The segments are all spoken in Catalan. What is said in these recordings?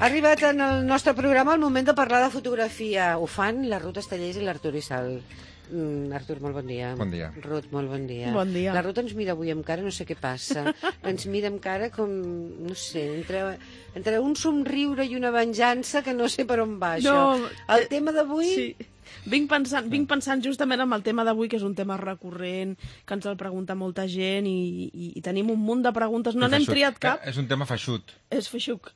arribat en el nostre programa el moment de parlar de fotografia. Ho fan la Ruth Estellés i l'Artur Isal. Artur, molt bon dia. Bon dia. Ruth, molt bon dia. Bon dia. La Ruth ens mira avui amb cara, no sé què passa. Ens mira amb cara com, no sé, entre un somriure i una venjança que no sé per on va això. El tema d'avui... Sí. Vinc pensant justament en el tema d'avui, que és un tema recurrent, que ens el pregunta molta gent i tenim un munt de preguntes. No n'hem triat cap. És un tema feixut. És feixuc.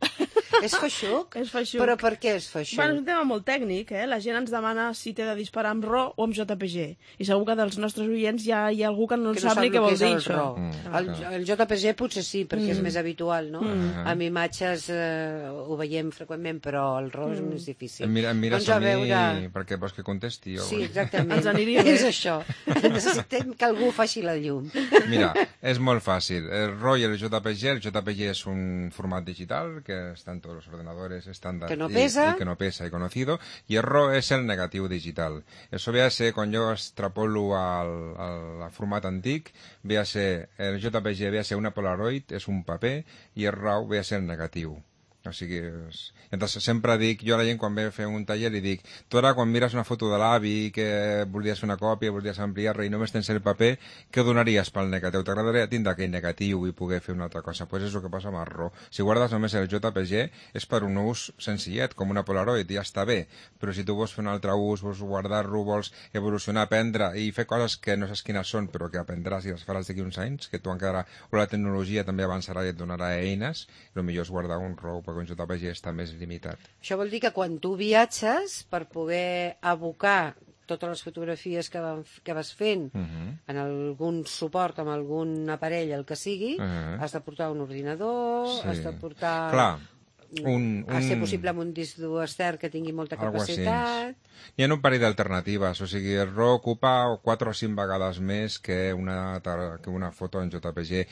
És feixuc? És feixuc. Però per què és feixuc? Bueno, és un tema molt tècnic, La gent ens demana si té de disparar amb RAW o amb JPG. I segur que dels nostres oients hi ha algú que no sap ni què vol dir això. El JPG potser sí, perquè és més habitual, no? Amb imatges ho veiem freqüentment, però el RAW és més difícil. Em mires a mi perquè vols que contesti? Sí, exactament. Ens aniria bé. És això. Necessitem que algú faci la llum. Mira, és molt fàcil. El RAW y el JPG es un format digital que està en tots els ordenadors estándar que no pesa. Y que no pesa y conocido, y el RAW es el negativo digital. Eso véase, quan jo extrapolo al format antic, véase el JPG, véase una Polaroid, és un paper, i el RAW véase el negatiu. O sigui, Entonces sempre dic, jo a la gent quan ve a fer un taller li dic, tu ara quan mires una foto de l'avi que voldries fer una còpia, voldries ampliar-la i només tens el paper, què donaries pel negatiu? T'agradaria tindre aquell negatiu i poder fer una altra cosa? Pues és el que passa amb el RAW. Si guardes només el JPG és per un ús senzillet, com una Polaroid, ja està bé, però si tu vols fer un altre ús, vols guardar-lo, vols evolucionar, aprendre i fer coses que no saps quines són, però que aprendràs i les faràs d'aquí uns anys, que tu encara, o la tecnologia també avançarà i et donarà eines, el millor és guardar un RAW, perquè un JPG està més limitat. Això vol dir que quan tu viatges, per poder abocar totes les fotografies que vas fent en algun suport, amb algun aparell, el que sigui, has de portar un ordinador, has de portar... Clar. A ser possible amb un disc dur extern que tingui molta capacitat. Hi ha un parell d'alternatives, o sigui, el RAW ocupa 4 o 5 vegades més que una foto en JPG.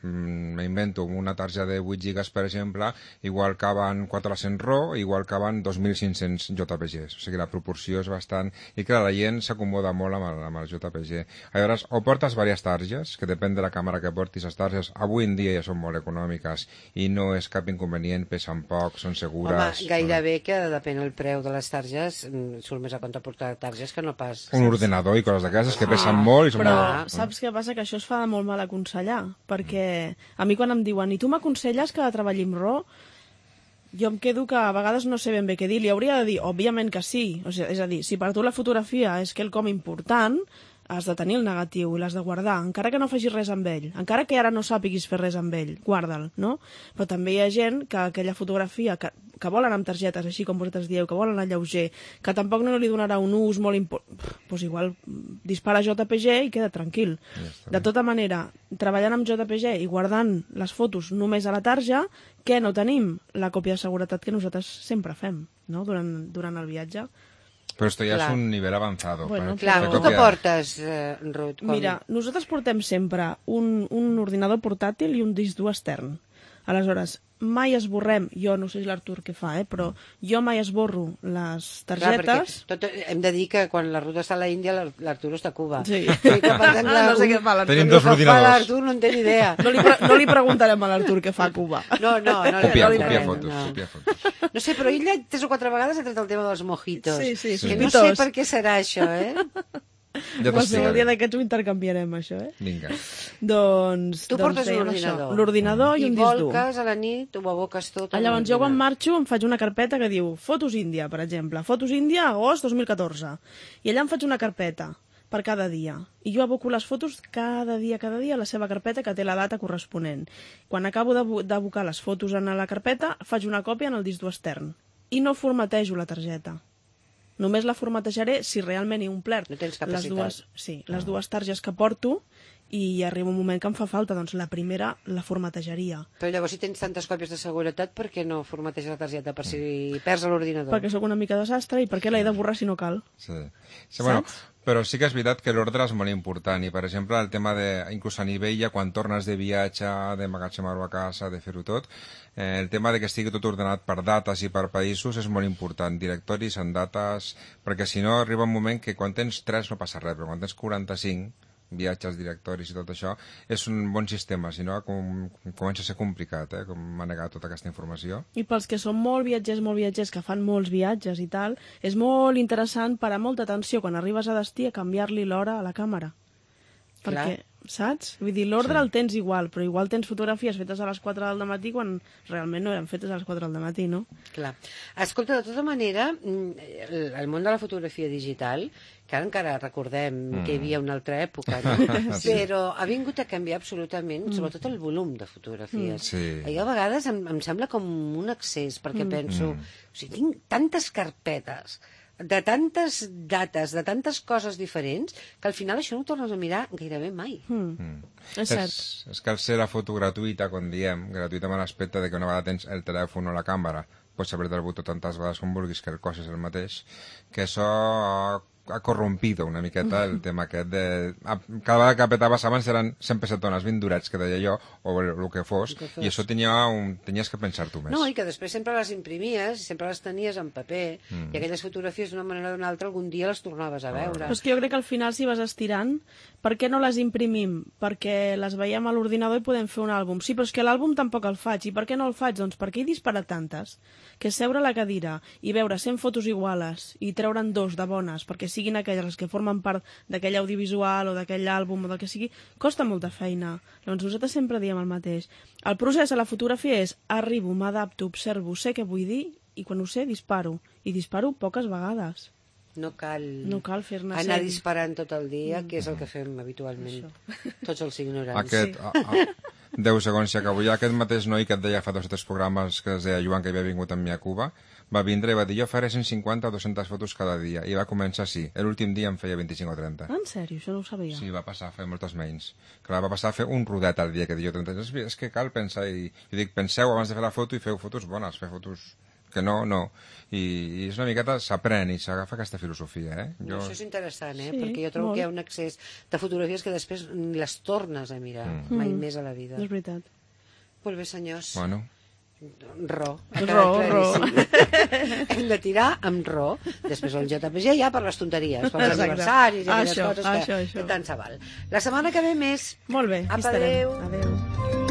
M'invento, una targeta de 8 gigas, per exemple, igual caben 400 RAW, igual caben 2.500 JPGs. O sigui, la proporció és bastant... I clar, la gent s'acomoda molt amb el JPG. Llavors, o portes diverses targes, que depèn de la càmera que portis, les targes avui en dia ja són molt econòmiques i no és cap inconvenient, pesen poc, són segures... Home, gairebé que depèn el preu de les targes, surt més a compte portar targes que no pas... Un ordenador i coses d'aquestes que pesen molt i són però molt... saps què passa? Que això es fa de molt mal aconsellar, perquè a mi quan em diuen i tu m'aconselles que treballi amb RAW, jo em quedo que a vegades no sé ben bé què dir. Li hauria de dir, òbviament que sí. O sigui, és a dir, si per tu la fotografia és quelcom important, has de tenir el negatiu i l'has de guardar, encara que no facis res amb ell, encara que ara no sàpiguis fer res amb ell, guarda'l, no? Però també hi ha gent que aquella fotografia que vol anar amb targetes, així com vosaltres dieu, que vol anar lleuger, que tampoc no li donarà un ús molt important, doncs igual dispara JPG i queda tranquil. De tota manera, treballant amb JPG i guardant les fotos només a la tarja, què no tenim? La còpia de seguretat que nosaltres sempre fem, no? Durant el viatge. Però esto ja és un nivell avançat. Bueno, clar, tu què portes, Ruth? Mira, nosaltres portem sempre un ordinador portàtil i un disc dur extern. Aleshores, mai esborrem, jo no sé si l'Artur què fa, però jo mai esborro les targetes. Clar, hem de dir que quan la Ruth està a l'Índia, l'Artur està a Cuba. Sí. No sé què fa l'Artur. Tenim dos ordinadors. L'Artur no en té ni idea. No li preguntarem a l'Artur què fa a Cuba. No li preguntarem. Copia fotos. No sé, però ell 3 o 4 vegades ha tret el tema dels mojitos. Sí. Que no sé per què serà això, Ja qualsevol dia d'aquests ho intercanviarem, això, Vinga. Doncs tu portes un ordinador. L'ordinador i un disc dur. I volques a la nit, ho aboques tot. Llavors jo quan marxo em faig una carpeta que diu Fotos Índia, per exemple. Fotos Índia, agost 2014. I allà em faig una carpeta per cada dia. I jo aboco les fotos cada dia a la seva carpeta que té la data corresponent. Quan acabo d'abocar les fotos en la carpeta, faig una còpia en el disc dur extern. I no formatejo la targeta. Només la formatejaré si realment he omplert les dues targes que porto i arriba un moment que em fa falta, doncs la primera la formatejaria. Però llavors si tens tantes còpies de seguretat, per què no formateges la targeta? Per si perds l'ordinador? Perquè sóc una mica desastre i perquè l'he de borrar si no cal. Sí, bueno, però sí que és veritat que l'ordre és molt important i, per exemple, el tema de, inclús a nivell ja quan tornes de viatge, d'emmagatzemar-ho a casa, de fer-ho tot, el tema de que estigui tot ordenat per dates i per països és molt important, directoris en dates, perquè si no arriba un moment que quan tens 3 no passa res, però quan tens 45 viatges, directoris i tot això, és un bon sistema, si no comença a ser complicat, com manegar tota aquesta informació. I pels que són molt viatgers, que fan molts viatges i tal, és molt interessant parar molta atenció quan arribes a destí a canviar-li l'hora a la càmera. Perquè, saps? Vull dir, l'ordre el tens igual, però igual tens fotografies fetes a les 4 del matí quan realment no eren fetes a les 4 del matí, no? Clar. Escolta, de tota manera, el món de la fotografia digital, que ara encara recordem que hi havia una altra època, no? Però ha vingut a canviar absolutament, sobretot el volum de fotografies. I a vegades em sembla com un excés, perquè penso, o sigui, tinc tantes carpetes, de tantes dates, de tantes coses diferents, que al final això no ho tornes a mirar gairebé mai. És cert. És que al ser la foto gratuïta, com diem, gratuïta amb l'aspecte de que una vegada tens el telèfon o la càmera, pots apretar el botó tantes vegades com vulguis, que el cos és el mateix, que això ha corrompido una miqueta el tema aquest de... Cada vegada que apretaves abans eren 100 pesetones, 20 durets, que deia jo, o el que fos, i això tenies que pensar-t'ho més. No, i que després sempre les imprimies, sempre les tenies en paper, i aquelles fotografies d'una manera o d'una altra algun dia les tornaves a veure. Però és que jo crec que al final, si vas estirant, per què no les imprimim? Perquè les veiem a l'ordinador i podem fer un àlbum. Sí, però és que l'àlbum tampoc el faig. I per què no el faig? Doncs perquè he disparat tantes, que seure a la cadira i veure 100 fotos iguales i treure'n 2 de bones, perquè siguin aquelles les que formen part d'aquell audiovisual o d'aquell àlbum o del que sigui, costa molta feina. Llavors nosaltres sempre diem el mateix. El procés a la fotografia és arribo, m'adapto, observo, sé què vull dir i quan ho sé disparo. I disparo poques vegades. No cal fer-ne anar disparant tot el dia, que és el que fem habitualment tots els ignorants. 10 segons i acabo. Ja aquest mateix noi que et deia fa 2 o 3 programes, que es deia Joan, que havia vingut amb mi a Cuba, va vindre i va dir, jo faré 150 o 200 fotos cada dia. I va començar així. L'últim dia em feia 25 o 30. En sèrio? Això no ho sabia. Sí, va passar a fer moltes menys. Clar, va passar a fer un rodet al dia que diu 30. És que cal pensar, i dic, penseu abans de fer la foto i feu fotos bones, fer fotos que no. I és una miqueta, s'aprèn i s'agafa aquesta filosofia, Això és interessant, perquè jo trobo que hi ha un excés de fotografies que després ni les tornes a mirar, mai més a la vida. És veritat. Molt bé, senyors. Bueno. Ro. Hem de tirar amb ro. Després el JPG ja per les tonteries, per els aniversaris i aquelles coses que tant se val. La setmana que ve més. Molt bé, adéu. Adéu.